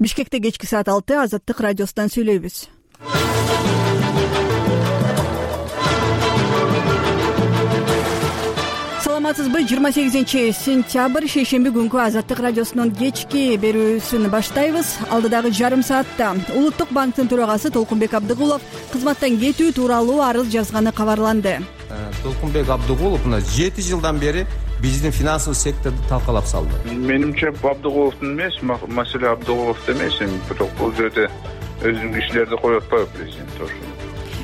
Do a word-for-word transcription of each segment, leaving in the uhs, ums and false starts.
Бишкекте кечки саат алты Азаттык радиосунан сүйлөйбүз. Саламатсызбы? жыйырма сегизинчи сентябрь шейшемби күнкү Азаттык радиосунун кечки берүүсүн баштайбыз. Алдыдагы жарым саатта Улуттук банктын төрагасы Толкунбек Абдыгулов кызматтан кетүү тууралуу арыз жазганы кабарланды. Толкунбек Абдыгулов мына жети жылдан бери биздин финансылык секторду талкалап салды. Менимче Абдыгуловдун эмес, маселе Абдыгуловдо эмес, бирок бул жерде өзүнүн кишилерди коюп атпайбы президент ошону.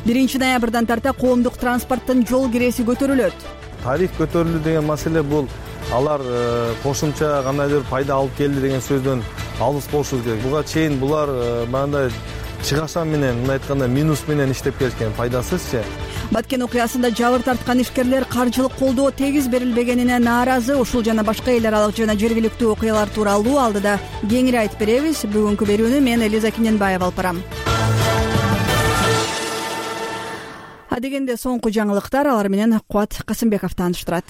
биринчи ноябрдан тарта коомдук транспорттун жол киреси көтөрүлөт. Тариф көтөрүлдү деген маселе бул алар кошумча кандайдыр пайда алып келди деген сөздөн алыс болушубуз керек. Буга чейин булар мындай чыгашан менен, мындай айтканда минус менен иштеп келишкен, пайдасызчы. Баткен окуясында жабыр тарткан ишкерлер каржылык колдоо тегиз берилбегенине нааразы. Ушул жана башка эл аралык жана жергиликтүү окуялар тууралуу алдыда кеңири айтып беребиз. Бүгүнкү берүүнү мен Элиза Киненбаева алып барам. Адегенде соңку жаңылыктар, алар менен Кубат Касымбеков тааныштырат.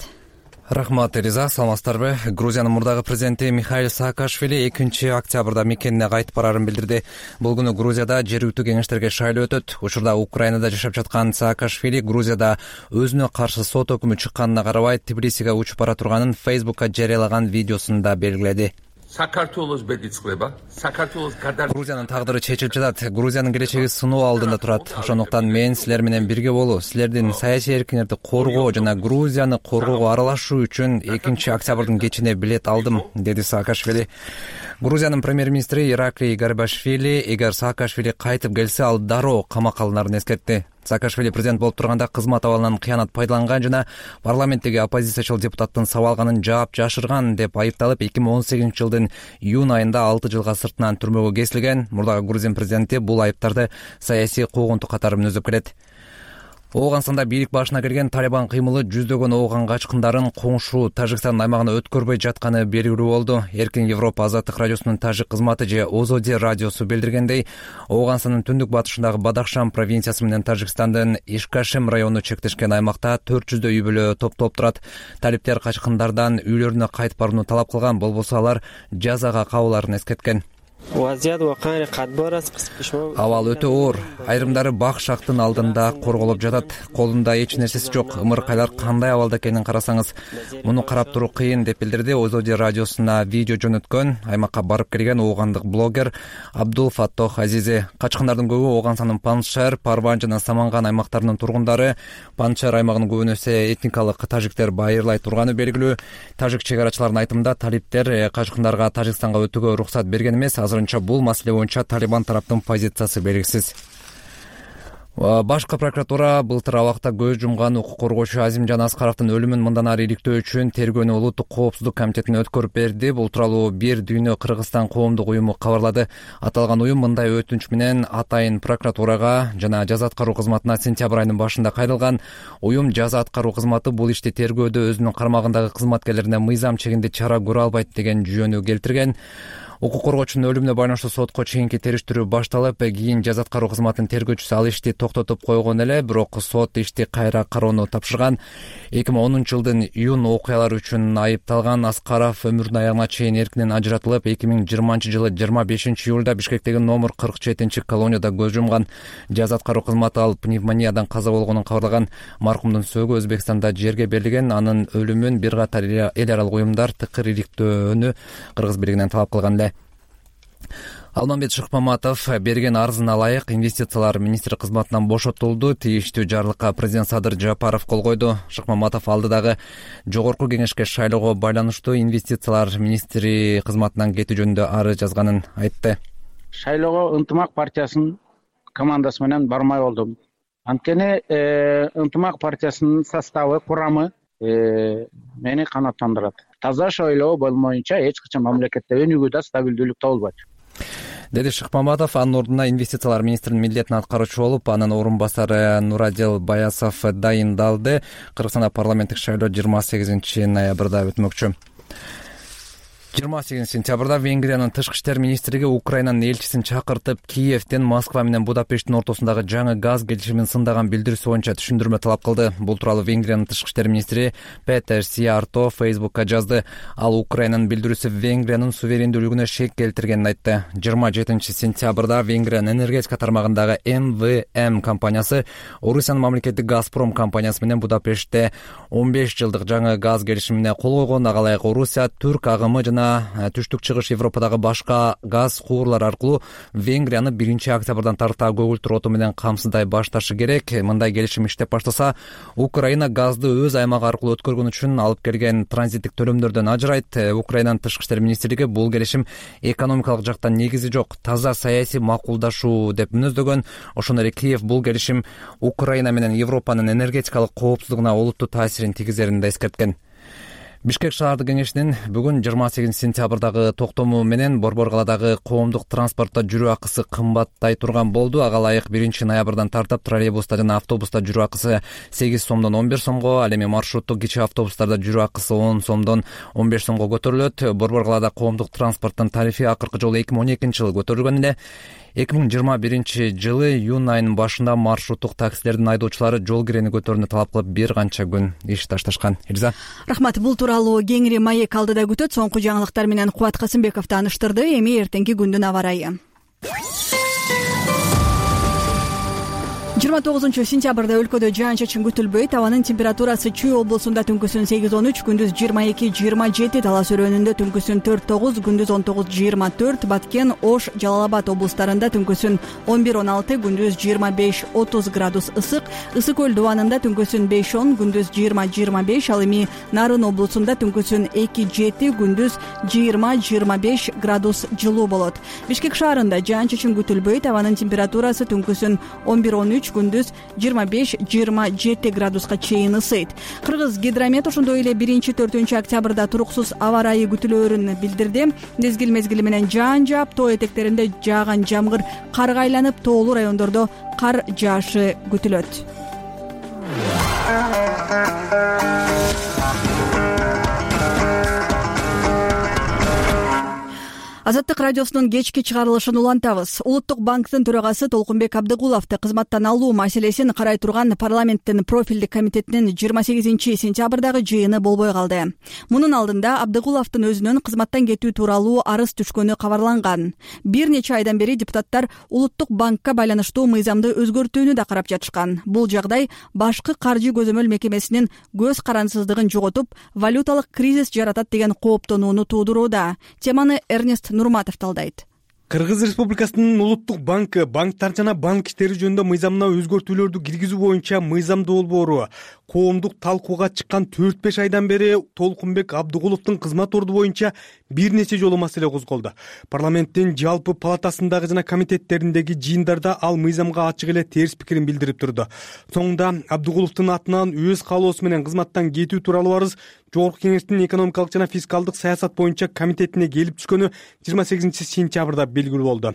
Рахмат, Элиза. Саламатсыздарбы? Грузиянын мурдагы президенти Михаил Саакашвили экинчи октябрда мекенине кайтып барарын билдирди. Бул күнү Грузияда жергиликтүү кеңештерге шайлоо өтөт. Учурда Украинада жашап жаткан Саакашвили Грузияда өзүнө каршы сот өкүмү чыкканына карабай Тбилисиге учуп бара турганын Фейсбукка жарыялаган видеосунда белгиледи. Грузиянын тагдыры чечилип жатат. Грузиянын келечеги сыноо алдында турат. Ошондуктан мен силер менен бирге болуу, силердин саясий эркиңерди коргоо жана Грузияны коргоого аралашуу үчүн экинчи октябрдын кечине билет алдым, деди Саакашвили. Грузиянын премьер-министри Ираклий Гарибашвили эгер Саакашвили кайтып келсе, ал дароо камакка алынарын эскертти. Саакашвили президент болуп турганда кызмат абалынан кыянат пайдаланган жана парламенттеги оппозициячыл депутаттын сабалганын жаап жашырган деп айыпталып, эки миң он сегизинчи жылдын июнь айында алты жылга сыртынан түрмөгө кесилген. Мурдагы Грузин президенти бул айыптарды саясий куугунту катары мүнөздөп келет. Ооганстанда бийлик башына келген Талибан кыймылы жүздөгөн ооган качкындарын коңшу Тажикстан аймагына өткөрбөй жатканы белгилүү болду. Эркин Европа Азаттык радиосунун тажик кызматы же Озоди радиосу билдиргендей, Ооганстандын түндүк батышындагы Бадахшан провинциясы менен Тажикстандын Ишкашем району чектешкен аймакта төрт жүздөй үй бүлө топтоп турат. Талиптер качкындардан үйлөрүнө кайтып барууну талап кылган, болбосо алар жазага кабыларын эскерткен. Абал өтө оор. Айрымдары бак шактын алдында корголуп жатат. Колунда эч нерсеси жок. Ымыркайлар кандай абалда экенин карасаңыз, муну карап туруу кыйын, деп билдирди Озоди радиосуна видео жөнөткөн аймакка барып келген оогандык блогер Абдул Фаттох Азизи. Качкындардын көбү Ооганстандын Паншер, Парван жана Саманган аймактарынын тургундары. Паншер аймагынын көбүнөсү этникалык тажиктер байырлай турганы белгилүү. Тажик чек арачыларынын айтымында талиптер качкындарга Тажикстанга өтүүгө уруксат берген эмес. Азырынча бул маселе боюнча Талибан тараптын позициясы белгисиз. Башкы прокуратура былтыр абакта көз жумган укук коргоочу Азимжан Аскаровдун өлүмүн мындан ары иликтөө үчүн тергөөнү Улуттук коопсуздук комитетине өткөрүп берди. Бул тууралуу Бир дүйнө Кыргызстан коомдук уюму кабарлады. Аталган уюм мындай өтүнүч менен атайын прокуратурага жана жаза аткаруу кызматына сентябрь айынын башында кайрылган. Уюм жаза аткаруу кызматы бул ишти тергөөдө өзүнүн кармагындагы кызматкерлерине мыйзам чегинде чара көрө албайт деген жүйөнү келтирген. Укук коргоочунун өлүмүнө байланыштуу сотко чейинки териштирүү башталып, кийин жаза аткаруу кызматынын тергөөчүсү ал ишти токтотуп койгон эле, бирок сот ишти кайра кароону тапшырган. эки миң онунчу жылдын июнь окуялары үчүн айыпталган Аскаров өмүрүнүн аягына чейин эркинен ажыратылып, эки миң жыйырманчы жылы жыйырма бешинчи июлда Бишкектеги номер кырк жетинчи колонияда көз жумган. Жаза аткаруу кызматы ал пневмониядан каза болгонун кабарлаган. Маркумдун сөөгү Өзбекстанда жерге берилген. Анын өлүмүн бир катар эл аралык уюмдар тыкыр иликтөөнү Кыргыз бийлигинен талап кылган эле. Алмамбет Шыкмаматов берген арызына ылайык инвестициялар министри кызматынан бошотулду. Тийиштүү жарлыкка президент Садыр Жапаров кол койду. Шыкмаматов алдыдагы жогорку кеңешке шайлоого байланыштуу инвестициялар министри кызматынан кетүү жөнүндө арыз жазганын айтты. Шайлоого Ынтымак партиясынын командасы менен бармай болдум. Анткени Ынтымак партиясынын составы, курамы мени канааттандырат. Таза шайлоо болмоюнча эч качан мамлекетте өнүгүү да стабилдүүлүк табылбайт, деди Шыкмаматов. Анын ордуна инвестициялар министринин милдетин аткаруучу болуп, анын орун басары Нурадел Баясов дайындалды. Кыргызстанда парламенттик шайлоо жыйырма сегизинчи ноябрда өтмөкчү. жыйырма сегизинчи сентябрда Венгриянын тышкы иштер министрлиги Украинанын элчисин чакыртып, Киевден Москва менен Будапешттин ортосундагы жаңы газ келишимин сындаган билдирүүсү боюнча түшүндүрмө талап кылды. Бул тууралуу Венгриянын тышкы иштер министри Петер Сиярто Фейсбукка жазды. Ал Украинанын билдирүүсү Венгриянын суверендүүлүгүнө шек келтиргенин айтты. жыйырма жетинчи сентябрда Венгриянын энергетика тармагындагы эм вэ эм компаниясы Орусиянын мамлекеттик Газпром компаниясы менен Будапештте он беш жылдык жаңы газ келишимине кол койгон. Ага ылайык Орусия түрк агымы жана түштүк чыгыш Европадагы башка газ куурлар аркылуу Венгрияны биринчи октябрдан тарта көгүлтүр оту менен камсыздай башташы керек. Мындай келишим иштеп баштаса, Украина газды өз аймагы аркылуу өткөргөн үчүн алып келген транзиттик төлөмдөрдөн ажырайт. Украинанын тышкы иштер министрлиги бул келишим экономикалык жактан негизи жок, таза саясий макулдашуу деп мүнөздөгөн. Ошондой эле Киев бул келишим Украина менен Европанын энергетикалык коопсуздугуна олуттуу таасирин тийгизерин да эскерткен. Бишкек шаардык кеңешинин бүгүн жыйырма сегизинчи сентябрдагы токтому менен Борбор калаадагы коомдук транспортто жүрүү акысы кымбаттай турган болду. Ага ылайык биринчи ноябрдан тартып троллейбуста жана автобуста жүрүү акысы сегиз сомдон он бир сомго, ал эми маршруттук кичи автобустарда жүрүү акысы он сомдон он беш сомго көтөрүлөт. Борбор калаада коомдук транспорттун тарифи акыркы жолу эки миң он экинчи жылы көтөрүлгөн эле. эки миң жыйырма биринчи жылы июнь айынын башында маршруттук таксилердин айдоочулары жол кирени көтөрүүнү талап кылып бир канча күн иш ташташкан. Элиза. Рахмат. Бул тууралуу кеңири маек алдыда күтөт. Соңку жаңылыктар менен Кубат Касымбеков тааныштырды. Эми эртеңки күндүн аба ырайы. жыйырма тогузунчу сентябрда өлкөдө жаан-чачын күтүлбөйт. Абанын температурасы Чүй облусунда түнкүсүн сегиз он үч, күндүз жыйырма эки жыйырма жети, Талас өрөөнүндө түнкүсүн төрт тогуз, күндүз он тогуз жыйырма төрт, Баткен, Ош, Жалал Абад облустарында түнкүсүн он бир он алты, күндүз жыйырма беш отуз градус ысык, Ысык көл дубанында түнкүсүн беш он, күндүз жыйырма жыйырма беш, ал эми Нарын облусунда түнкүсүн эки жети, күндүз жыйырма жыйырма беш градус жылуу болот. Бишкек шаарында жаан-чачын күтүлбөйт. Абанын температурасы түнкүсүн он бир он үч, күндүз жыйырма беш жыйырма жети градуска чейин ысыйт. Кыргыз гидромет ошондой эле биринчи төртүнчү октябрда туруксуз аба ырайы күтүлөөрүн билдирди. Мезгил мезгили менен жаан жаап, тоо этектеринде жааган жамгыр карга айланып, тоолуу райондордо кар жаашы күтүлөт. Азаттык радиосунун кечки чыгарылышын улантабыз. Улуттук банктын төрагасы Толкунбек Абдыгуловду кызматтан алуу маселесин карай турган парламенттин профилдик комитетинин жыйырма сегизинчи сентябрдагы жыйыны болбой калды. Мунун алдында Абдыгуловдун өзүнүн кызматтан кетүү тууралуу арыз түшкөнү кабарланган. Бир нече айдан бери депутаттар Улуттук банкка байланыштуу мыйзамды өзгөртүүнү да карап жатышкан. Бул жагдай башкы каржы көзөмөл мекемесинин көз карансыздыгын жоготуп, валюталык кризис жаратат деген кооптонууну туудурууда. Теманы Эрнест Нурматов талдайт. Кыргыз Республикасынын Улуттук банкы банктар жана банк иштери жөнүндө мыйзамына өзгөртүүлөрдү киргизүү боюнча мыйзамдуу долбоору коомдук талкууга чыккан төрт беш айдан бери Толкунбек Абдыгуловдун кызмат орду боюнча бир нече жолу маселе козголду. Парламенттин жалпы палатасындагы жана комитеттериндеги жыйындарда ал мыйзамга ачык эле терс пикирин билдирип турду. Соңунда Абдыгуловдун атынан өз каалоосу менен кызматтан кетүү тууралуу арыз Жогорку кеңештин экономикалык жана фискалдык саясат боюнча комитетине келип түшкөнү жыйырма сегизинчи сентябрда белгилүү болду.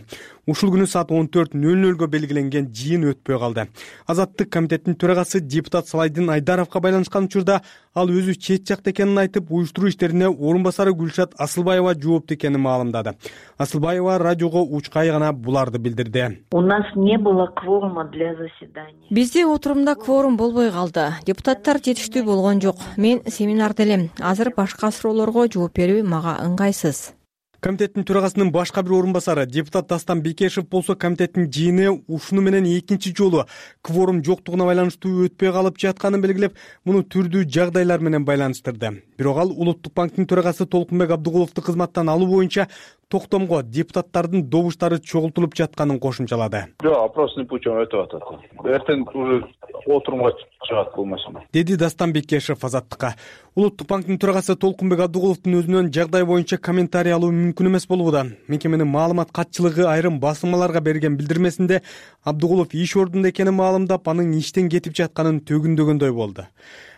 Ушул күнү саат он төрт нөл нөлгө белгиленген жыйын өтпөй калды. Азаттык комитеттин төрагасы депутат Салайдин Айдаровго байланышкан учурда ал өзү чет жакта экенин айтып, уюштуруу иштерине орун басары Гүлшат Асылбаева жоопту экенин маалымдады. Асылбаева радиого учкай гана буларды билдирди. У нас не было кворума для заседания. Бизде отурумда кворум болбой калды. Депутаттар жетиштүү болгон жок. Мен семинарда элем. Азыр башка суроолорго жооп берүү мага ыңгайсыз. Комитеттин төрагасынын башка бир орун басары депутат Дастан Бекешев болсо комитеттин жыйыны ушуну менен экинчи жолу кворум жоктугуна байланыштуу өтпөй калып жатканын белгилеп, муну түрдүү жагдайлар менен байланыштырды. Бирок ал Улуттук банктын төрагасы Толкунбек Абдыгуловду кызматтан алуу боюнча токтомго депутаттардын добуштары чогултулуп жатканын кошумчалады. Жок, опросный путем өтүп атат. Эртең уже отурумга чыгат бул маселе. Деди Дастан Бекешев Азаттыкка. Улуттук банктын төрагасы Толкунбек Абдыгуловдун өзүнөн жагдай боюнча комментарий алуу мүмкүн эмес болууда. Мекеменин маалымат катчылыгы айрым басылмаларга берген билдирмесинде Абдыгулов иш ордунда экенин маалымдап, анын иштен кетип жатканын төгүндөгөндөй болду.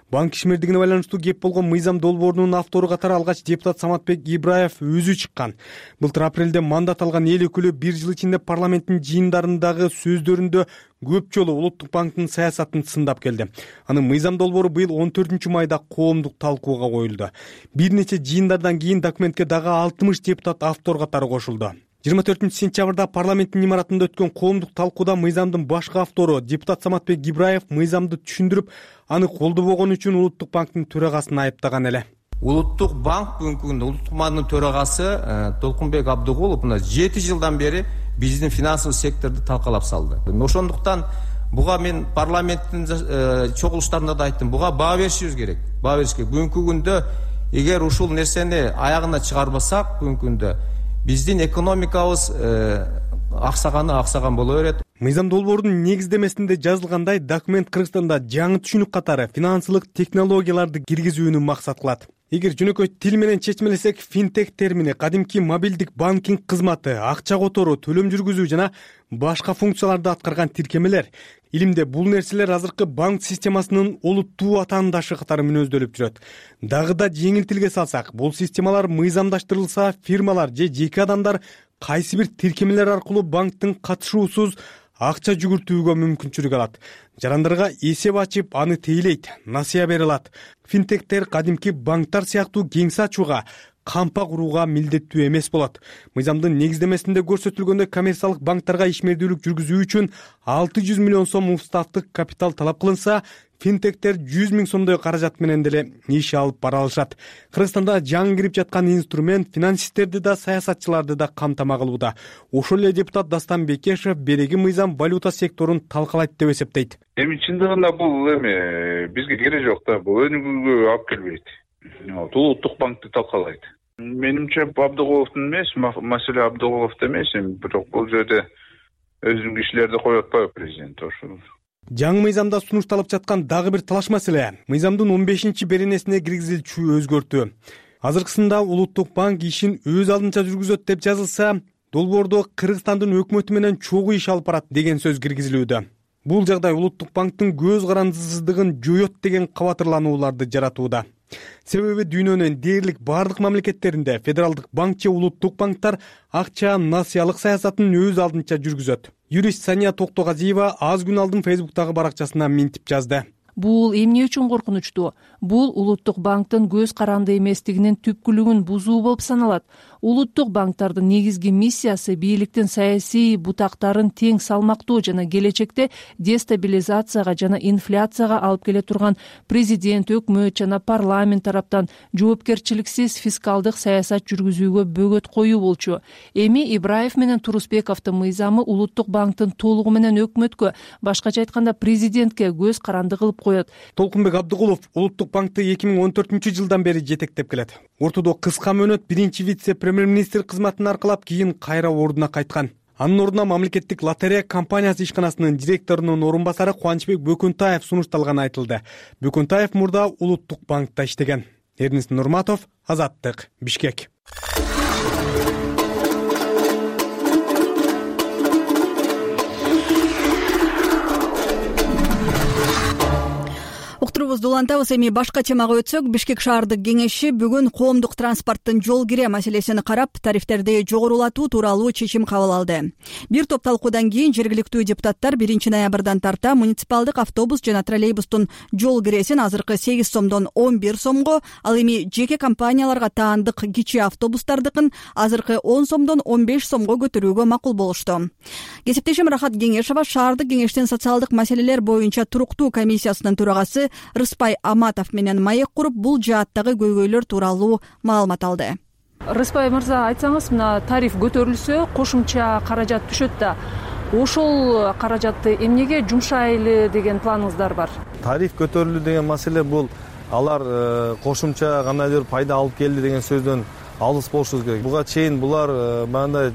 Банк ишмердигине байланыштуу кеп болгон мыйзам долбоорунун автору катары алгач депутат Саматбек Ибраев өзү чыккан. Былтыр апрелде мандат алган эл өкүлү бир жыл ичинде парламенттин жыйындарындагы сөздөрүндө көп жолу Улуттук банктын саясатын сындап келди. Анын мыйзам долбоору быйыл он төртүнчү майда коомдук талкууга коюлду. Бир нече жыйындардан кийин документке дагы алтымыш депутат автор катары кошулду. жыйырма төртүнчү сентябрда парламенттин имаратында өткөн коомдук талкууда мыйзамдын башкы автору депутат Саматбек Ибраев мыйзамды түшүндүрүп, аны колдобогон үчүн Улуттук банктын төрагасын айыптаган эле. Улуттук банк бүгүнкү күндө Улуттук банктын төрагасы Толкунбек Абдыгулов мына жети жылдан бери биздин финансылык секторду талкалап салды. Ошондуктан буга мен парламенттин чогулуштарында да айттым, буга баа беришибиз керек. Баа бериш керек. Бүгүнкү күндө эгер ушул нерсени аягына чыгарбасак, бүгүнкү күндө биздин экономикабыз аксаганы аксаган боло берет. Мыйзам долбоорунун негиздемесинде жазылгандай, документ Кыргызстанда жаңы түшүнүк катары финансылык технологияларды киргизүүнү максат кылат. Эгер жөнөкөй тил менен чечмелесек, финтех термини кадимки мобилдик банкинг кызматы, акча которуу, төлөм жүргүзүү жана башка функцияларды аткарган тиркемелер. Илимде бул нерселер азыркы банк системасынын олуттуу атаандашы катары мүнөздөлүп жүрөт. Дагы да жеңил тилге салсак, бул системалар мыйзамдаштырылса, фирмалар же жеке адамдар кайсы бир тиркемелер аркылуу банктын катышуусуз акча жүгүртүүгө мүмкүнчүлүк алат. Жарандарга эсеп ачып, аны тейлейт, насыя бере алат. Финтектер кадимки банктар сыяктуу кеңсе ачууга, кампа курууга милдеттүү эмес болот. Мыйзамдын негиздемесинде көрсөтүлгөндөй, коммерциялык банктарга ишмердүүлүк жүргүзүү үчүн алты жүз миллион сом уставдык капитал талап кылынса, финтектер жүз миң сомдой каражат менен деле иш алып бара алышат. Кыргызстанда жаңы кирип жаткан инструмент финансисттерди да, саясатчыларды да камтама кылууда. Ошол эле депутат Дастан Бекешев береги мыйзам валюта секторун талкалайт деп эсептейт. Эми чындыгында бул эми бизге кереги жок да, бул өнүгүүгө алып келбейт. Улуттук банкты талкалайт. Менимче Абдыгуловдун эмес, маселе Абдыгуловдо эмес, бирок бул жерде өзүнүн кишилерди коюп атпайбы президент ошол. Жаңы мыйзамда сунушталып жаткан дагы бир талаш маселе мыйзамдын он бешинчи беренесине киргизилчү өзгөртүү. Азыркысында Улуттук банк ишин өз алдынча жүргүзөт деп жазылса, долбоордо Кыргызстандын өкмөтү менен чогуу иш алып барат деген сөз киргизилүүдө. Бул жагдай Улуттук банктын көз карандысыздыгын жоёт деген кабатырланууларды жаратууда. Себеби дүйнөнүн дээрлик бардык мамлекеттеринде федералдык банк же улуттук банктар акча насыялык саясатын өз алдынча жүргүзөт. Юрист Сания Токтогазиева аз күн алдын Фейсбуктагы баракчасына минтип жазды. Бул эмне үчүн коркунучтуу? Бул Улуттук банктын көз каранды эместигинин түпкүлүгүн бузуу болуп саналат. Улуттук банктардын негизги миссиясы бийликтин саясий бутактарын тең салмактоо жана келечекте дестабилизацияга жана инфляцияга алып келе турган президент, өкмөт жана парламент тараптан жоопкерчиликсиз фискалдык саясат жүргүзүүгө бөгөт коюу болчу. Эми Ибраев менен Турусбековдун мыйзамы Улуттук банктын толугу менен өкмөткө, башкача айтканда президентке көз каранды кылып коет. Толкунбек Абдыгулов Улуттук банкты эки миң он төртүнчү жылдан бери жетектеп келет. Ортодо кыска мөөнөт биринчи вице-премьер-министр кызматын аркалап, кийин кайра ордуна кайткан. Анын ордуна мамлекеттик лотерея компаниясы ишканасынын директорунун орун басары Кубанычбек Бөкөнтаев сунушталганы айтылды. Бөкөнтаев мурда Улуттук банкта иштеген. Эрнис Нурматов, Азаттык, Бишкек. Уктуруубузду улантабыз. Эми башка темага өтсөк, Бишкек шаардык кеңеши бүгүн коомдук транспорттун жол кире маселесин карап, тарифтерди жогорулатуу тууралуу чечим кабыл алды. Бир топ талкуудан кийин жергиликтүү депутаттар биринчи ноябрдан тарта муниципалдык автобус жана троллейбустун жол киресин азыркы сегиз сомдон он бир сомго, ал эми жеке компанияларга таандык кичи автобустардыкын азыркы он сомдон он беш сомго көтөрүүгө макул болушту. Кесиптешим Рахат Кеңешова шаардык кеңештин социалдык маселелер боюнча туруктуу комиссиясынын төрагасы Рыспай Аматов менен маек куруп, бул жааттагы көйгөйлөр тууралуу маалымат алды. Рыспай мырза, айтсаңыз, мына тариф көтөрүлсө, кошумча каражат түшөт да. Ошол каражатты эмнеге жумшайлы деген планыңыздар бар? Тариф көтөрүлүү деген маселе бул алар кошумча кандайдыр пайда алып келди деген сөздөн алыс болушубуз керек. Буга чейин булар мындай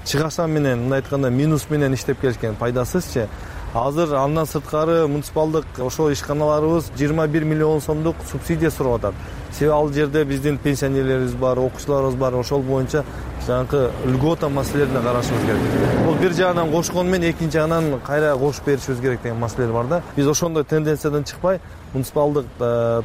чыгашан менен, мындай айтканда минус менен иштеп келишкен, пайдасызчы. Азыр андан сырткары муниципалдык ошол ишканаларыбыз жыйырма бир миллион сомдук субсидия сурап атат. Себеби ал жерде биздин пенсионерлерибиз бар, окуучуларыбыз бар, ошол боюнча жанагы льгота маселелерине карашыбыз керек. Бул бир жагынан кошкону менен экинчи жагынан кайра кошуп беришибиз керек деген маселелер бар да. Биз ошондой тенденциядан чыкпай, муниципалдык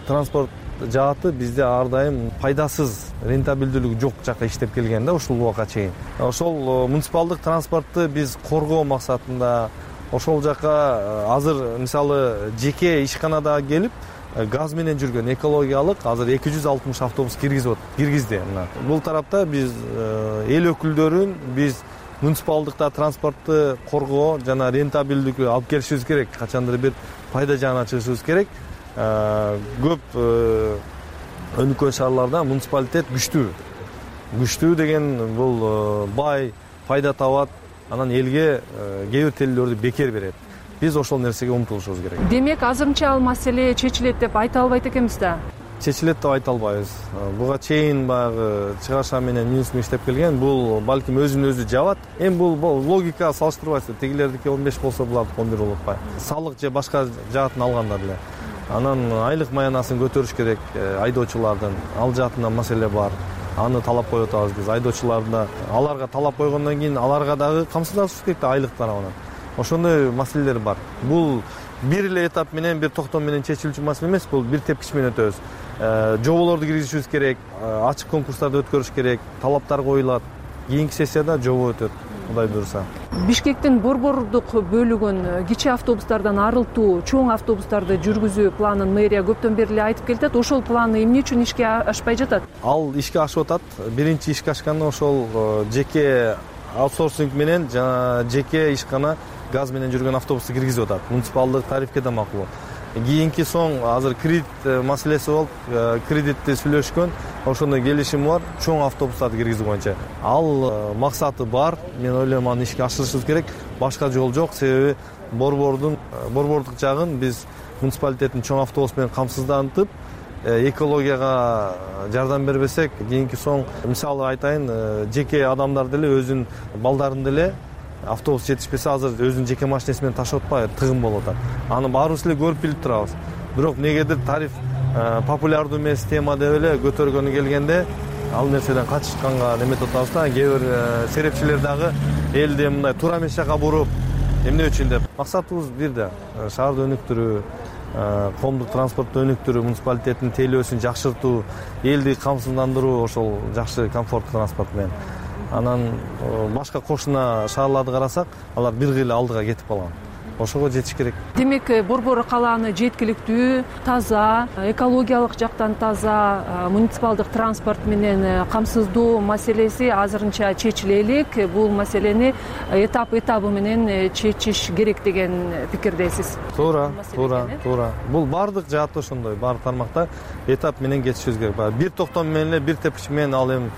транспорт жааты бизде ар дайым пайдасыз, рентабелдүүлүгү жок жакка иштеп келген да ушул убакка чейин. Ошол муниципалдык транспортты биз коргоо максатында ошол жака азыр мисалы жеке ишканада келип газ менен жүргөн экологиялык азыр эки жүз алтымыш автобус киргизип киргизди. Мына бул тарапта биз эл өкүлдөрүн биз муниципалдыкта транспортты коргоо жана рентабелдүүлүккө алып келишибиз керек. Качандыр бир пайда жагына чыгышыбыз керек. Көп өнүккөн шаарларда муниципалитет күчтүү. Күчтүү деген бул бай, пайда табат, анан элге кээ бир телелөрдү бекер берет. Биз ошол нерсеге умтулушубуз керек. Демек, азырынча ал маселе чечилет деп айта албайт экенбиз да. Чечилет деп айта албайбыз. Буга чейин баягы чыгарша менен минус менен иштеп келген. Бул балким өзүн өзү жабат. Эми бул логика салыштырбайсыз. Тегилердики он беш болсо булардыкы он бир болуп атпайбы? Салык же башка жаатын алганда деле. Анан айлык маянасын көтөрүш керек айдоочулардын. Ал жаатынан маселе бар. Аны талап коюп атабыз биз. Айдоочуларда аларга талап койгондон кийин аларга дагы камсыздашыбыз керек да айлык тарабынан. Ошондой маселелер бар. Бул бир эле этап менен, бир токтом менен чечилүүчү маселе эмес, бул бир тепкич менен өтөбүз. Жоболорду киргизишибиз керек, ачык конкурстарды өткөрүш керек, талаптар коюлат. Кийинки сессияда жобо өтөт, Кудай буйруса. Бишкектин борбордук бөлүгүн кичи автобустардан арылтуу, чоң автобустарды жүргүзүү планын мэрия көптөн бери эле айтып келатат. Ошол план эмне үчүн ишке ашпай жатат? Ал ишке ашып атат. Биринчи ишке ашканда ошол жеке аутсорсинг менен жана жеке ишкана газ менен жүргөн автобусту киргизип атат. Муниципалдык тарифке да макул. Кийинки соң азыр кредит маселеси болуп, кредитти сүйлөшкөн, ошондой келишим бар, чоң автобустарды киргизүү боюнча. Ал максаты бар. Мен ойлойм аны ишке ашырышыбыз керек. Башка жол жок, себеби борбордун борбордук жагын биз муниципалитеттин чоң автобус менен камсыздантып, экологияга жардам бербесек, кийинки соң мисалы айтайын, жеке адамдар деле өзүнүн балдарын деле автобус жетишпесе азыр өзүнүн жеке машинеси менен ташып атпайбы, тыгын болуп атат. Аны баарыбыз эле көрүп билип турабыз. Бирок негедир тариф популярдуу эмес тема деп эле көтөргөнү келгенде ал нерседен качышканга неметип атабыз да. Кээ бир серепчилер дагы элди мындай туура эмес жака буруп, эмне үчүн деп. Максатыбыз бир да, шаарды өнүктүрүү, коомдук транспортду өнүктүрүү, муниципалитеттин тейлөөсүн жакшыртуу, элди камсыздандыруу, ошол жакшы комфорттуу транспорт менен. Анан башка кошуна шаарларды карасак, алар бир кыйла алдыга кетип калган. Ошого жетиш керек. Демек, борбор калааны жеткиликтүү, таза, экологиялык жактан таза, муниципалдык транспорт менен камсыздоо маселеси азырынча чечиле элек. Бул маселени этап-этабы менен чечиш керек деген пикирдесиз. Туура, туура, туура. Бул бардык жаатта ошондой, баардык тармакта этап менен кетишибиз керек. Бир токтом менен эле, бир тепкич менен ал эми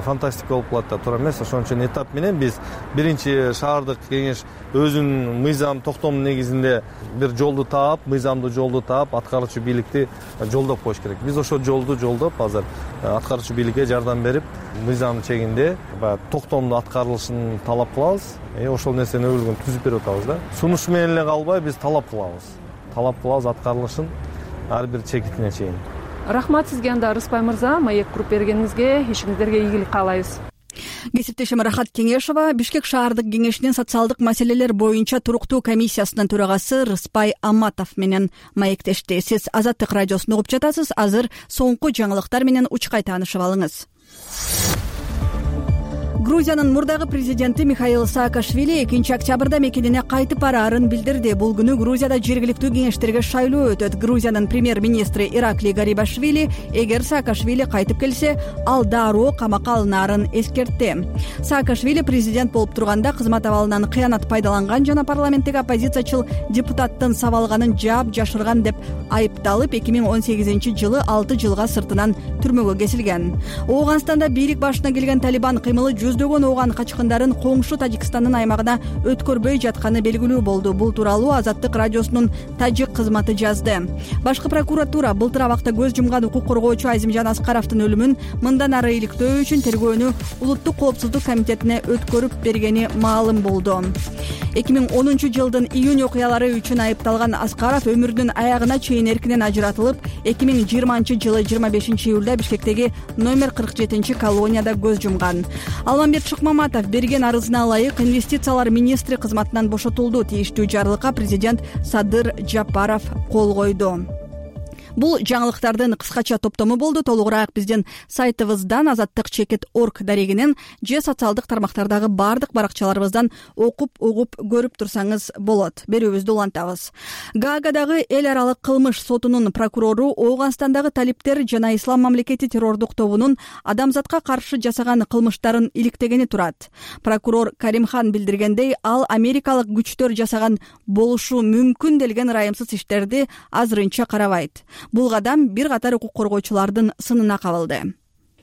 фантастика болуп калат да, туура эмес. Ошон үчүн этап менен биз биринчи шаардык кеңеш өзүнүн мыйзам токтом негизинде бир жолду таап, мыйзамдуу жолду таап, аткаруучу бийликти жолдоп коюш керек. Биз ошол жолду жолдоп азыр аткаруучу бийликке жардам берип, мыйзам чегинде баягы токтомдуу аткарылышын талап кылабыз. Э ошол нерсени өбөлгөн түзүп берип атабыз да. Сунуш менен эле калбай биз талап кылабыз. Талап кылабыз аткарылышын ар бир чекитине чейин. Рахмат сизге анда Рыспай мырза, маек куруп бергениңизге, ишиңиздерге ийгилик каалайбыз. Кесиптешим Рахат Кеңешова Бишкек шаардык кеңешинин социалдык маселелер боюнча туруктуу комиссиясынын төрагасы Рыспай Аматов менен маектешти. Сиз Азаттык радиосун угуп жатасыз. Азыр соңку жаңылыктар менен учкай таанышып алыңыз. Грузиянын мурдагы президенти Михаил Саакашвили экинчи октябрда мекенине кайтып бараарын билдирди. Бул күнү Грузияда жергиликтүү кеңештерге шайлоо өтөт. Грузиянын премьер-министри Иракли Гарибашвили эгер Саакашвили кайтып келсе, ал дароо камакка алынаарын эскертти. Саакашвили президент болуп турганда кызмат абалынан кыянат пайдаланган жана парламенттеги оппозициячыл депутаттын сабалганын жаап жашырган деп айыпталып, эки миң он сегизинчи жылы алты жылга сыртынан түрмөгө кесилген. Ооганстанда бийлик башына келген Талибан кыймылы жүздөгөн ооган качкындарын коңшу Тажикстандын аймагына өткөрбөй жатканы белгилүү болду. Бул тууралуу Азаттык радиосунун тажик кызматы жазды. Башкы прокуратура былтыр абакта көз жумган укук коргоочу Азимжан Аскаровдун өлүмүн мындан ары иликтөө үчүн тергөөнү Улуттук коопсуздук комитетине өткөрүп бергени маалым болду. эки миң онунчу жылдын июнь окуялары үчүн айыпталган Аскаров өмүрүнүн аягына чейин эркинен ажыратылып, эки миң жыйырманчы жылы жыйырма бешинчи июлда Бишкектеги номер кырк жетинчи колонияда көз жумган. Алмамбет Шыкмаматов берген арызына ылайык инвестициялар министри кызматынан бошотулду. Тийиштүү жарлыкка президент Садыр Жапаров кол койду. Бул жаңылыктардын кыскача топтому болду. Толугураак биздин сайтыбыздан азаттык чекит точка орг дарегинен же социалдык тармактардагы баардык баракчаларыбыздан окуп угуп көрүп турсаңыз болот. Берүүбүздү улантабыз. Гаагадагы эл аралык кылмыш сотунун прокурору Ооганстандагы талиптер жана Ислам мамлекети террордук тобунун адамзатка каршы жасаган кылмыштарын иликтегени турат. Прокурор Каримхан билдиргендей, ал америкалык күчтөр жасаган болушу мүмкүн делген ырайымсыз иштерди азырынча карабайт. Бул кадам бир катар укук коргоочулардын сынына кабылды.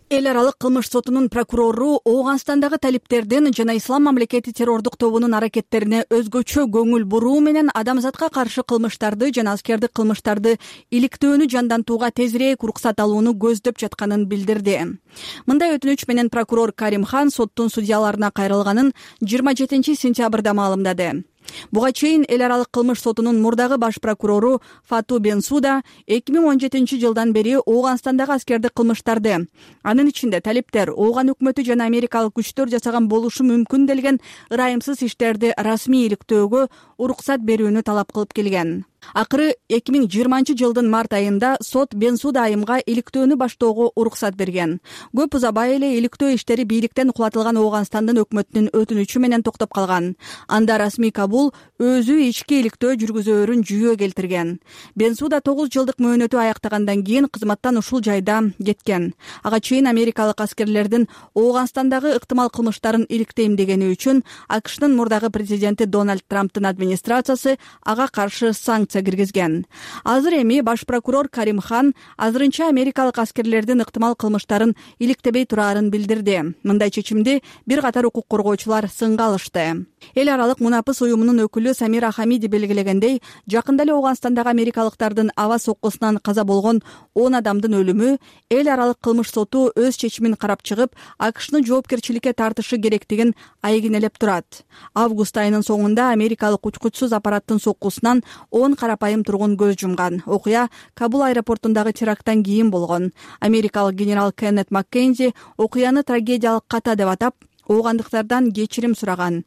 Эл аралык кылмыш сотунун прокурору Ооганстандагы талиптердин жана Ислам мамлекети террордук тобунун аракеттерине өзгөчө көңүл буруу менен адамзатка каршы кылмыштарды жана аскердик кылмыштарды иликтөөнү жандантууга тезирээк уруксат алууну көздөп жатканын билдирди. Мындай өтүнүч менен прокурор Каримхан соттун судьяларына кайрылганын жыйырма жетинчи сентябрда маалымдады. Буга чейин эл аралык кылмыш сотунун мурдагы баш прокурору Фату Бенсуда эки миң он жетинчи жылдан бери Ооганстандагы аскердик кылмыштарды, анын ичинде талиптер, Ооган өкмөтү жана америкалык күчтөр жасаган болушу мүмкүн делген ырайымсыз иштерди расмий иликтөөгө уруксат берүүнү талап кылып келген. Акыры эки миң жыйырманчы жылдын март айында сот Бенсуда айымга иликтөөнү баштоого уруксат берген. Көп узабай эле иликтөө иштери бийликтен кулатылган Ооганстандын өкмөтүнүн өтүнүчү менен токтоп калган. Анда расмий Кабул өзү ички иликтөө жүргүзөөрүн жүйө келтирген. Бенсуда тогуз жылдык мөөнөтү аяктагандан кийин кызматтан ушул жайда кеткен. Ага чейин америкалык аскерлердин Ооганстандагы ыктымал кылмыштарын иликтейм дегени үчүн АКШнын мурдагы президенти Дональд Трамптын администрациясы ага каршы санкция киргизген. Азыр эми баш прокурор Каримхан азырынча америкалык аскерлердин ыктымал кылмыштарын иликтебей турарын билдирди. Мындай чечимди бир катар укук коргоочулар сынга алышты. Эл аралык мунапыс уюмунун өкүлү Самира Хамиди белгилегендей, жакында эле Ооганстандагы америкалыктардын аба соккусунан каза болгон он адамдын өлүмү эл аралык кылмыш соту өз чечимин карап чыгып, АКШны жоопкерчиликке тартышы керектигин айгинелеп турат. Август айынын соңунда америкалык учкучсуз аппараттын соккусунан он карапайым тургун көз жумган. Окуя Кабул аэропортундагы теракттан кийин болгон. Америкалык генерал Кеннет Маккензи окуяны трагедиялык ката деп атап, оогандыктардан кечирим сураган.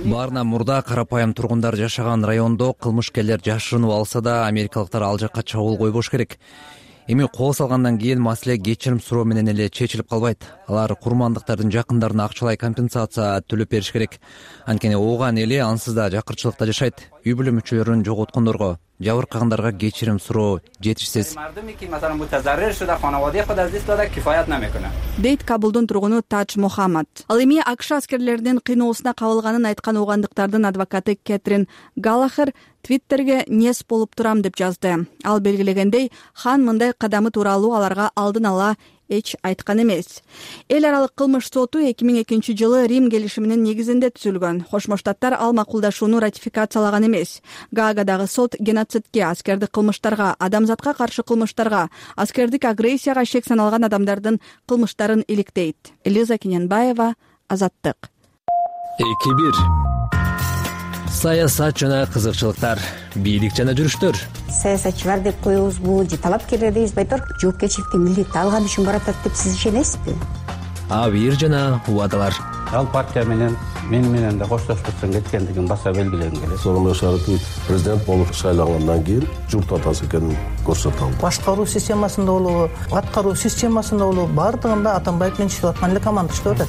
Баарынан мурда карапайым тургундар жашаган райондо кылмышкерлер жашырынып алса да, америкалыктар ал жакка чабуул койбош керек. Эми кол салгандан кийин маселе кечирим суроо менен эле чечилип калбайт. Алар курмандыктардын жакындарына акчалай компенсация төлөп бериш керек. Анткени Ооган эли ансыз да жакырчылыкта жашайт. Үй бүлө мүчөлөрүн жоготкондорго, жабыркагандарга кечирим суроо жетишсиз. Дейт Кабулдун тургуну Тадж Мохаммад. Ал эми АКШ аскерлеринин кыйноосуна кабылганын айткан оогандыктардын адвокаты Кэтрин Галлахер Твиттерге нес болуп турам деп жазды. Ал белгилегендей, хан мындай кадамы тууралуу аларга алдын ала эч айткан эмес. Эл аралык кылмыш соту эки миң экинчи жылы Рим келишиминин негизинде түзүлгөн. Кошмо Штаттар ал макулдашууну ратификациялаган эмес. Гаагадагы сот геноцидке, аскердик кылмыштарга, адамзатка каршы кылмыштарга, аскердик агрессияга шек саналган адамдардын кылмыштарын иликтейт. Элиза Кененбаева, Азаттык. эки бир Саясат жана кызыкчылыктар, бийлик жана жүрүштөр. Саясатчылар деп коебузбу же талапкерлер дейбизби айтор? Жоопкерчиликти милдетти алган үчүн баратат деп сиз ишенесизби? Абийир жана убадалар. Ал партия менен мен менен да коштошпостон кеткендигин баса белгилегим келет. Сооронбай Шарипович президент болуп шайлангандан кийин журт атасы экенин көрсөтө. Башкаруу системасында болобу, аткаруу системасында болобу, баардыгында Атамбаев менен иштеп аткан эле команда иштеп атат.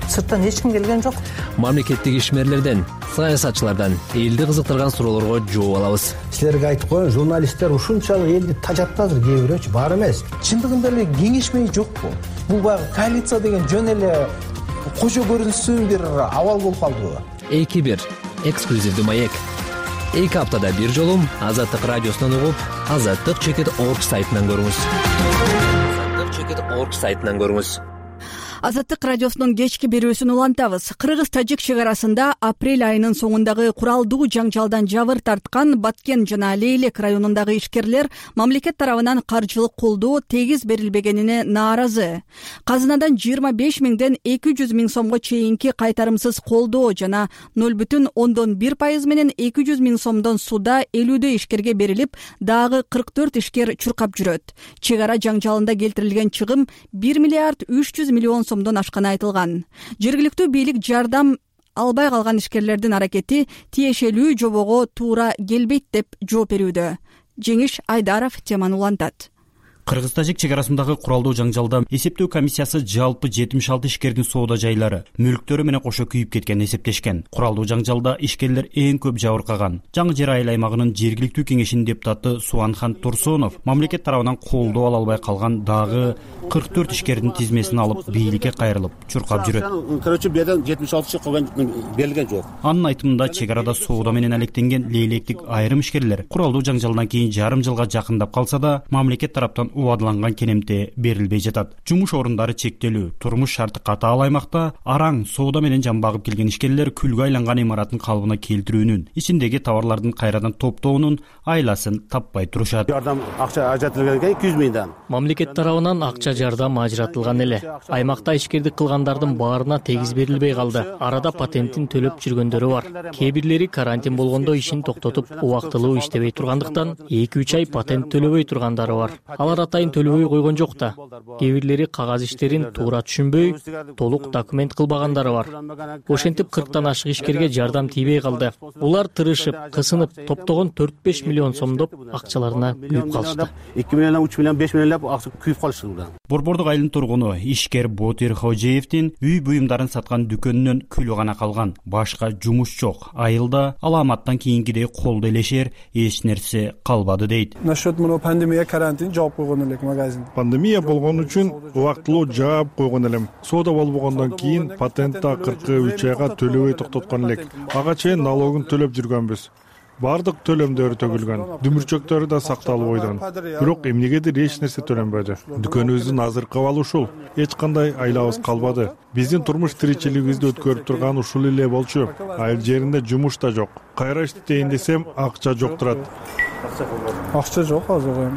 Сырттан эч ким келген жок. Мамлекеттик ишмерлерден, саясатчылардан элди кызыктырган суроолорго жооп алабыз. Силерге айтып коеюн, журналисттер ушунчалык элди тажатты азыр, кээ бирөөчү бар эмес. Чындыгында эле кеңешмей жокпу? Бул баягы коалиция деген жөн эле кожо көрүнсүн бир абал болуп калдыбы? эки бир эксклюзивдүү маек. эки аптада бир жолу Азаттык радиосунан угуп, азаттык чекит точка орг сайтынан көрүңүз. азаттык чекит точка орг сайтынан көрүңүз. Азаттык радиосунун кечки берүүсүн улантабыз. Кыргыз-тажик чек арасында апрель айынын соңундагы куралдуу жаңжалдан жабыр тарткан Баткен жана Лейлек районундагы ишкерлер мамлекет тарабынан каржылык колдоо тегиз берилбегенине нааразы. Казынадан жыйырма беш миңден эки жүз миң сомго чейинки кайтарымсыз колдоо жана ноль бүтүн ондон бир пайыз менен эки жүз миң сомдон суда элүүдөй ишкерге берилип, дагы кырк төрт ишкер чуркап жүрөт. Чек ара жаңжалында келтирилген чыгым бир миллиард үч жүз миллион сомдон ашканы айтылган. Жергиликтүү бийлик жардам албай калган ишкерлердин аракети тиешелүү жобого туура келбейт деп жооп берүүдө. Жеңиш Айдаров теманы улантат. Кыргыз-тажик чек арасындагы куралдуу жаңжалда эсептөө комиссиясы жалпы жетимиш алты ишкердин соода жайлары, мүлктөрү менен кошо күйүп кеткенин эсептешкен. Куралдуу жаңжалда ишкерлер эң көп жабыркаган. Жаңы Жер айыл аймагынын жергиликтүү кеңешинин депутаты Суанхан Турсунов мамлекет тарабынан колдоо ала албай калган дагы кырк төрт ишкердин тизмесин алып бийликке кайрылып чуркап жүрөт. Короче, беден жетимиш алты койгон берилген жок. Анын айтымында чек арада соода менен алектенген лейлектик айрым ишкерлер куралдуу жаңжалдан кийин жарым жылга жакындап калса да, мамлекет тараптан убадыланган кенемте берилбей жатат. Жумуш орундары чектелүү, турмуш шарты катаал аймакта араң соода менен жамбагып келген ишкерлер күлгө айланган имараттын калыбына келтирүүнүн, ичиндеги товарлардын кайрадан топтоонун айласын таппай турушат. Жардам акча ажыратылган эки жүз миңден. Мамлекет тарабынан акча жардам ажыратылган эле. Аймакта ишкердик кылгандардын баарына тегиз берилбей калды. Арада патентин төлөп жүргөндөрү бар. Кээ бирлери карантин болгондо ишин токтотуп, убактылуу иштебей тургандыктан эки үч ай патент төлөбөй тургандары бар. Алар атайын төлөбөй койгон жок да. Кээ бирлери кагаз иштерин туура түшүнбөй, толук документ кылбагандары бар. Ошентип кырктан ашык ишкерге жардам тийбей калды. Улар тырышып, кысынып, топтогон төрт беш миллион сомдоп акчаларына күйүп калышты. эки миллион, үч миллион, беш миллиондоп акча күйүп калышты. Борбордук айылдын тургуну ишкер Ботир Хожеевдин үй буюмдарын саткан дүкөнүнөн күлү гана калган. Башка жумуш жок. Айылда аламаттан кийинкидей колдо элешер эч нерсе калбады дейт. Насчет мына пандемия карантин жаап койгон элек магазин. Пандемия болгон үчүн убактылуу жаап койгон элем. Соода болбогондон кийин патентти кырк үч айга төлөбөй токтоткон элек. Ага чейин налогун төлөп жүргөнбүз. Бардык төлөмдөр төгүлгөн, дүмүрчөктөрү да сакталып койгон. Бирок эмнегедир эч нерсе төлөнбөдү. Дүкөнүбүздүн азыркы абалы ушул. Эч кандай айлабыз калбады. Биздин турмуш тиричилигибизди өткөрүп турган ушул эле болчу. Айыл жеринде жумуш да жок. Кайра иштейин десем, акча жок турат. Акча жок азыр.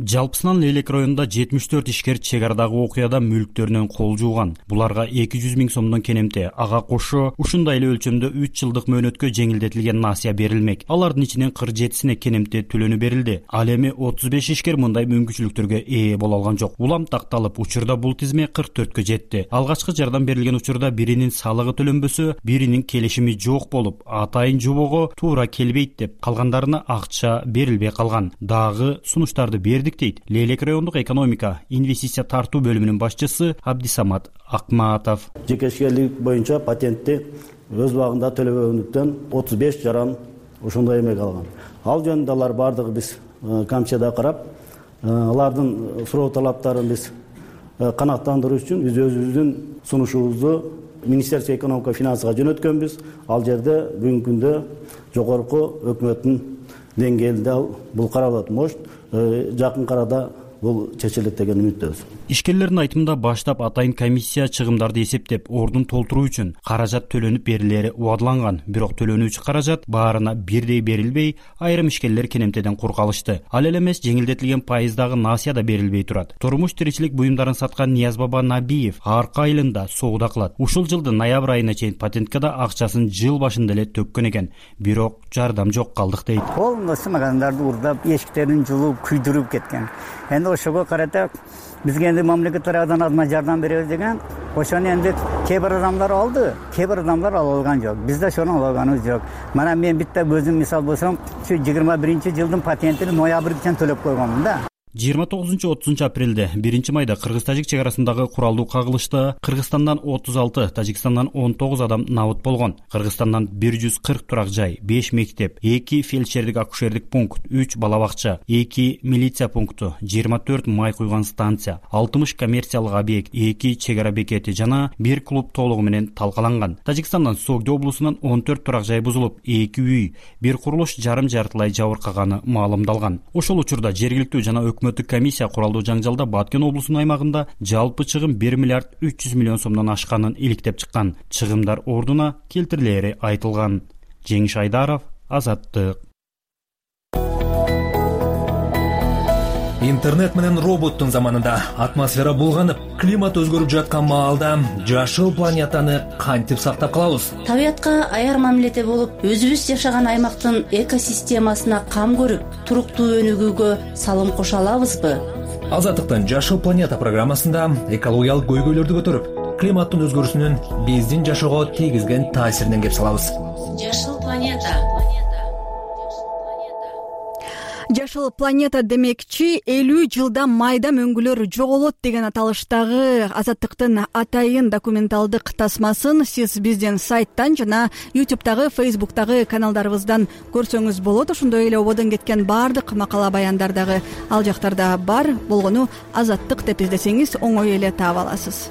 Жалпысынан Лейлек районунда жетимиш төрт ишкер чек арадагы окуяда мүлктөрүнөн кол жууган. Буларга эки жүз миң сомдон кенемте, ага кошо ушундай эле өлчөмдө үч жылдык мөөнөткө жеңилдетилген насыя берилмек. Алардын ичинен кырк жетисине кенемте төлөнү берилди. Ал эми отуз беш ишкер мындай мүмкүнчүлүктөргө ээ боло алган жок. Улам такталып, учурда бул тизме кырк төрткө жетти. Алгачкы жардам берилген учурда биринин салыгы төлөнбөсө, биринин келишими жок болуп, атайын жобого туура келбейт деп калгандарына акча берилбей калган. Дагы сунуштарды берди дейт Лейлек райондук экономика инвестиция тартуу бөлүмүнүн башчысы Абдисамат Акматов. Жекешелик боюнча патентти өз убагында төлөбөгөндүктөн отуз беш жаран ошондой эмек алган. Ал жөнүндө алар бардыгы биз комиссияда карап, алардын суроо талаптарын биз канааттандыруу үчүн биз өзүбүздүн сунушубузду Министерство экономика финансыга жөнөткөнбүз. Ал жерде бүгүнкү күндө жогорку өкмөттүн деңгээлинде бул каралат. Может, жакын арада бул чечилет деген үмүттөбүз. Ишкерлердин айтымында баштап атайын комиссия чыгымдарды эсептеп, ордун толтуруу үчүн каражат төлөнүп берилери убадыланган. Бирок төлөнүүчү каражат баарына бирдей берилбей, айрым ишкерлер кенемтеден кур калышты. Ал эле эмес, жеңилдетилген пайыздагы насыя да берилбей турат. Турмуш тиричилик буюмдарын саткан Ниязбаба Набиев Арка айылында соода кылат. Ушул жылдын ноябрь айына чейин патентке да акчасын жыл башында эле төккөн экен. Бирок жардам жок калдык дейт. Полностью магазиндарды урдап, эшиктерин жулуп, күйдүрүп кеткен. Энди ошого карата бизге энди мамлекет тарабынан азма жардам беребиз деген, ошону энди кээ бир адамдар алды, кээ бир адамдар ала алган жок. Биз да ошону ала алганыбыз жок. Мана мен битте өзүм мисал болсом, ушу жыйырма биринчи жылдын патентин ноябрда төлөп койгонмун да. жыйырма тогузунчу отузунчу апрелде биринчи майда Кыргыз-тажик чек арасындагы куралдуу кагылышта Кыргызстандан отуз алты, Тажикстандан он тогуз адам набыт болгон. Кыргызстандан бир жүз кырк турак жай, беш мектеп, эки фельдшердик акушердик пункт, үч бала бакча, эки милиция пункту, жыйырма төрт май куйган станция, алтымыш коммерциялык объект, эки чек ара бекети жана бир клуб толугу менен талкаланган. Тажикстандан Согди облусунан он төрт турак жай бузулуп, эки үй, бир курулуш жарым жартылай жабыркаганы маалымдалган. Ошол учурда жергиликтүү жана өкмөттүк комиссия куралдуу жаңжалда Баткен облусунун аймагында жалпы чыгым бир миллиард үч жүз миллион сомдон ашканын иликтеп чыккан. Чыгымдар ордуна келтирилери айтылган. Жеңиш Айдаров, Азаттык. Интернет менен роботтун заманында атмосфера булганып, климат өзгөрүп жаткан маалда жашыл планетаны кантип сактап калабыз? Табиятка аяр мамиледе болуп, өзүбүз жашаган аймактын экосистемасына кам көрүп, туруктуу өнүгүүгө салым кошо алабызбы? Азаттыктын Жашыл планета программасында экологиялык көйгөйлөрдү көтөрүп, климаттын өзгөрүүсүнүн биздин жашоого тийгизген таасиринен кеп салабыз. Жашыл планета. Жашыл планета демекчи элүү жылда майда мөңгүлөр жоголот деген аталыштагы Азаттыктын атайын документалдык тасмасын сиз биздин сайттан жана ютубтагы, фейсбуктагы каналдарыбыздан көрсөңүз болот. Ошондой эле ободон кеткен баардык макала баяндар дагы ал жактарда бар болгону Азаттык деп издесеңиз оңой эле таап аласыз.